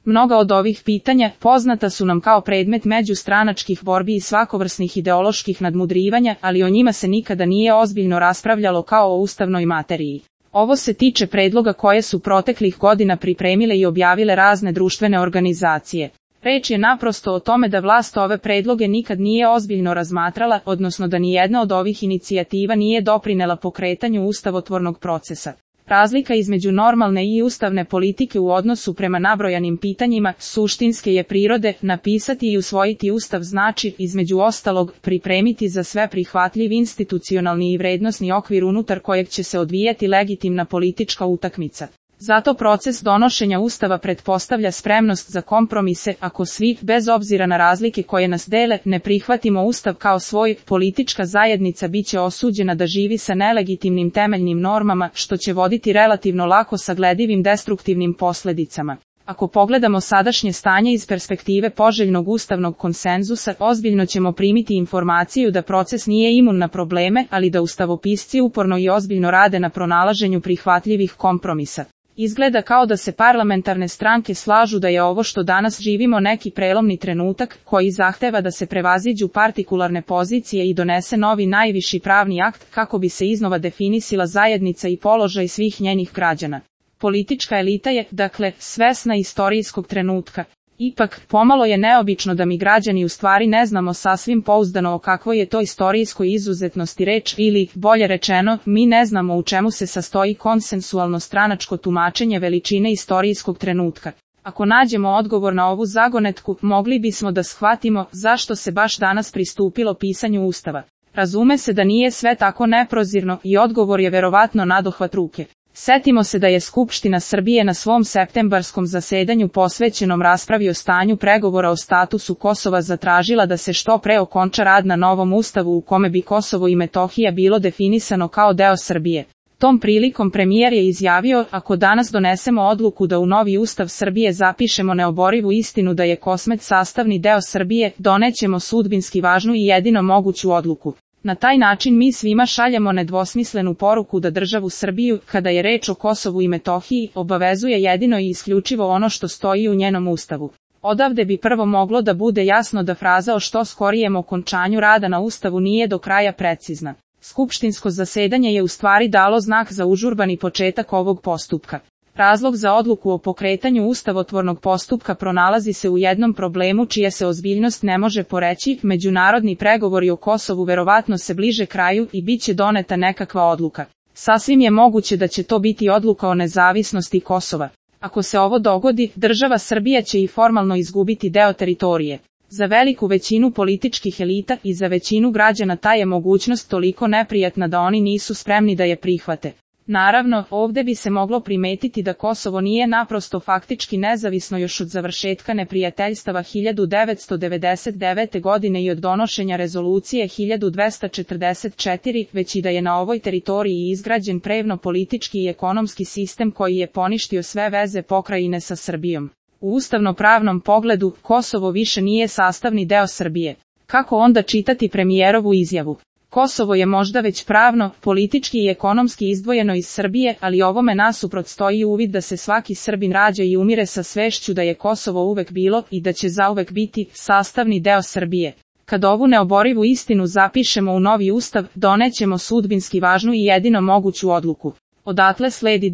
Mnoga od ovih pitanja poznata su nam kao predmet međustranačkih borbi i svakovrsnih ideoloških nadmudrivanja, ali o njima se nikada nije ozbiljno raspravljalo kao o ustavnoj materiji. Ovo se tiče predloga koje su proteklih godina pripremile i objavile razne društvene organizacije. Reč je naprosto o tome da vlast ove predloge nikad nije ozbiljno razmatrala, odnosno da nijedna od ovih inicijativa nije doprinela pokretanju ustavotvornog procesa. Razlika između normalne i ustavne politike u odnosu prema nabrojanim pitanjima suštinske je prirode. Napisati i usvojiti ustav znači, između ostalog, pripremiti za sve prihvatljiv institucionalni i vrednosni okvir unutar kojeg će se odvijati legitimna politička utakmica. Zato proces donošenja ustava pretpostavlja spremnost za kompromise. Ako svi, bez obzira na razlike koje nas dele, ne prihvatimo ustav kao svoj, politička zajednica biće osuđena da živi sa nelegitimnim temeljnim normama, što će voditi relativno lako sagledivim destruktivnim posledicama. Ako pogledamo sadašnje stanje iz perspektive poželjnog ustavnog konsenzusa, ozbiljno ćemo primiti informaciju da proces nije imun na probleme, ali da ustavopisci uporno i ozbiljno rade na pronalaženju prihvatljivih kompromisa. Izgleda kao da se parlamentarne stranke slažu da je ovo što danas živimo neki prelomni trenutak, koji zahteva da se prevaziđu partikularne pozicije i donese novi najviši pravni akt kako bi se iznova definisila zajednica i položaj svih njenih građana. Politička elita je, dakle, svesna istorijskog trenutka. Ipak, pomalo je neobično da mi građani u stvari ne znamo sasvim pouzdano o kakvoj je to istorijskoj izuzetnosti reč ili, bolje rečeno, mi ne znamo u čemu se sastoji konsensualno stranačko tumačenje veličine istorijskog trenutka. Ako nađemo odgovor na ovu zagonetku, mogli bismo da shvatimo zašto se baš danas pristupilo pisanju ustava. Razume se da nije sve tako neprozirno i odgovor je verovatno nadohvat ruke. Setimo se da je Skupština Srbije na svom septembarskom zasedanju posvećenom raspravi o stanju pregovora o statusu Kosova zatražila da se što pre okonča rad na novom ustavu u kome bi Kosovo i Metohija bilo definisano kao deo Srbije. Tom prilikom premijer je izjavio, ako danas donesemo odluku da u novi ustav Srbije zapišemo neoborivu istinu da je Kosmet sastavni deo Srbije, donećemo sudbinski važnu i jedino moguću odluku. Na taj način mi svima šaljemo nedvosmislenu poruku da državu Srbiju, kada je reč o Kosovu i Metohiji, obavezuje jedino i isključivo ono što stoji u njenom ustavu. Odavde bi prvo moglo da bude jasno da fraza o što skorijem okončanju rada na ustavu nije do kraja precizna. Skupštinsko zasedanje je u stvari dalo znak za užurbani početak ovog postupka. Razlog za odluku o pokretanju ustavotvornog postupka pronalazi se u jednom problemu čija se ozbiljnost ne može poreći. Međunarodni pregovori o Kosovu verovatno se bliže kraju i bit će doneta nekakva odluka. Sasvim je moguće da će to biti odluka o nezavisnosti Kosova. Ako se ovo dogodi, država Srbija će i formalno izgubiti deo teritorije. Za veliku većinu političkih elita i za većinu građana ta je mogućnost toliko neprijatna da oni nisu spremni da je prihvate. Naravno, ovde bi se moglo primetiti da Kosovo nije naprosto faktički nezavisno još od završetka neprijateljstava 1999. godine i od donošenja rezolucije 1244, već i da je na ovoj teritoriji izgrađen prevno-politički i ekonomski sistem koji je poništio sve veze pokrajine sa Srbijom. U ustavno-pravnom pogledu, Kosovo više nije sastavni deo Srbije. Kako onda čitati premijerovu izjavu? Kosovo je možda već pravno, politički i ekonomski izdvojeno iz Srbije, ali ovome nasuprot stoji uvid da se svaki Srbin rađa i umire sa svešću da je Kosovo uvek bilo i da će zauvek biti sastavni deo Srbije. Kad ovu neoborivu istinu zapišemo u novi ustav, donećemo sudbinski važnu i jedino moguću odluku. Odatle sledi